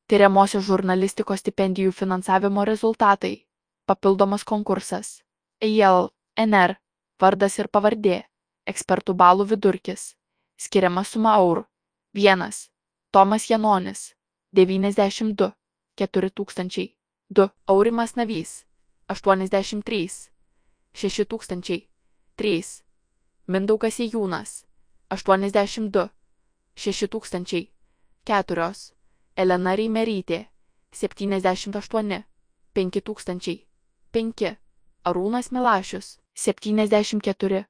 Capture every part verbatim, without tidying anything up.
Tyriamosios žurnalistikos stipendijų finansavimo rezultatai. Papildomas konkursas. E I L, N R, vardas ir pavardė. Ekspertų balų vidurkis. Skiriama suma eurų. vienas. Tomas Janonis. devyniasdešimt du. keturi tūkstančiai. du. Aurimas Navys. aštuoniasdešimt trys. šeši tūkstančiai. trys. Mindaugas Ėjūnas. aštuoniasdešimt du. šeši tūkstančiai. keturios. Elena Reimerytė. septyniasdešimt aštuoni. penki tūkstančiai. penki. Arūnas Milašius. septyniasdešimt keturi.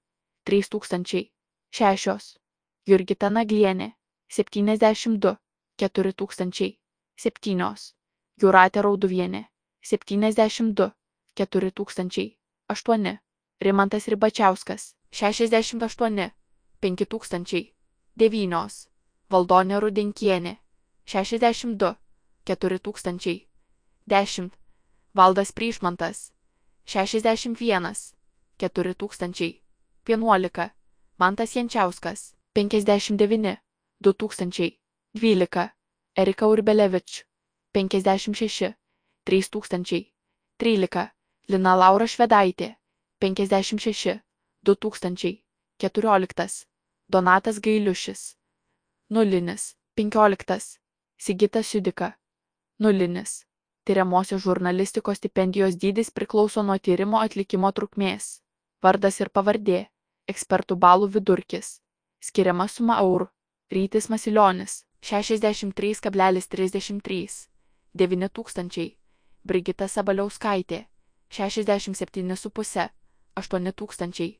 trys tūkstančiai. šešios. Jurgita Naglienė. septyniasdešimt du. keturi tūkstančiai. septynios. Jūratė Rauduvienė. septyniasdešimt du. keturi tūkstančiai. aštuoni. Rimantas Ribačiauskas. šešiasdešimt aštuoni. penki tūkstančiai. devynios. Valdonė Rudenkienė. šešiasdešimt du. keturi tūkstančiai. dešimt. Valdas Pryšmantas. šešiasdešimt vienas. keturi tūkstančiai. vienuolika. Mantas Jančiauskas. penkiasdešimt devyni. du tūkstančiai. dvylika. Erika Urbelevič. penkiasdešimt šeši. trys tūkstančiai. trylika. Lina Laura Švedaitė. penkiasdešimt šeši. du tūkstančiai. keturioliktas. Donatas Gailiušis. Nulinis. penkioliktas. Sigitas Judika. Nulinis. Tyriamosios žurnalistikos stipendijos dydis priklauso nuo tyrimo atlikimo trukmės. Vardas ir pavardė. Ekspertų balų vidurkis. Skiriama suma eurų. Rytis Masilionis. šešiasdešimt trys kablelis trisdešimt trys. devyni tūkstančiai. Brigita Sabaliauskaitė. šešiasdešimt septyni su puse. aštuoni tūkstančiai.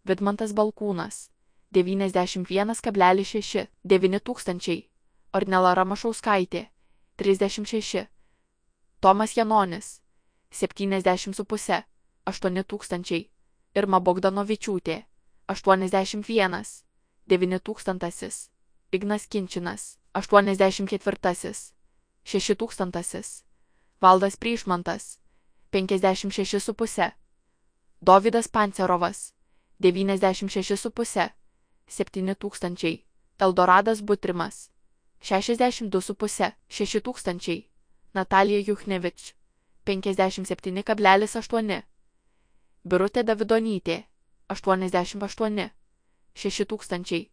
Vidmantas Balkūnas. devyniasdešimt vienas kablelis šeši. devyni tūkstančiai. Ornela Ramašauskaitė. trisdešimt šeši. Tomas Janonis. septyniasdešimt su puse. aštuoni tūkstančiai. Irma Bogdanovičiūtė. aštuoniasdešimt vienas. devyni tūkstantasis. Ignas Kinčinas. aštuoniasdešimt ketvirtasis. šeši tūkstantasis. Valdas Pryšmantas. penkiasdešimt šeši su puse. Dovydas Pancerovas. devyniasdešimt šeši su puse. septyni tūkstančiai. Eldoradas Butrimas. šešiasdešimt du su puse. šeši tūkstančiai. Natalija Juchnevič. penkiasdešimt septyni kablelis aštuoni. Birutė Davidonytė. aštuoniasdešimt aštuoni. šeši tūkstančiai.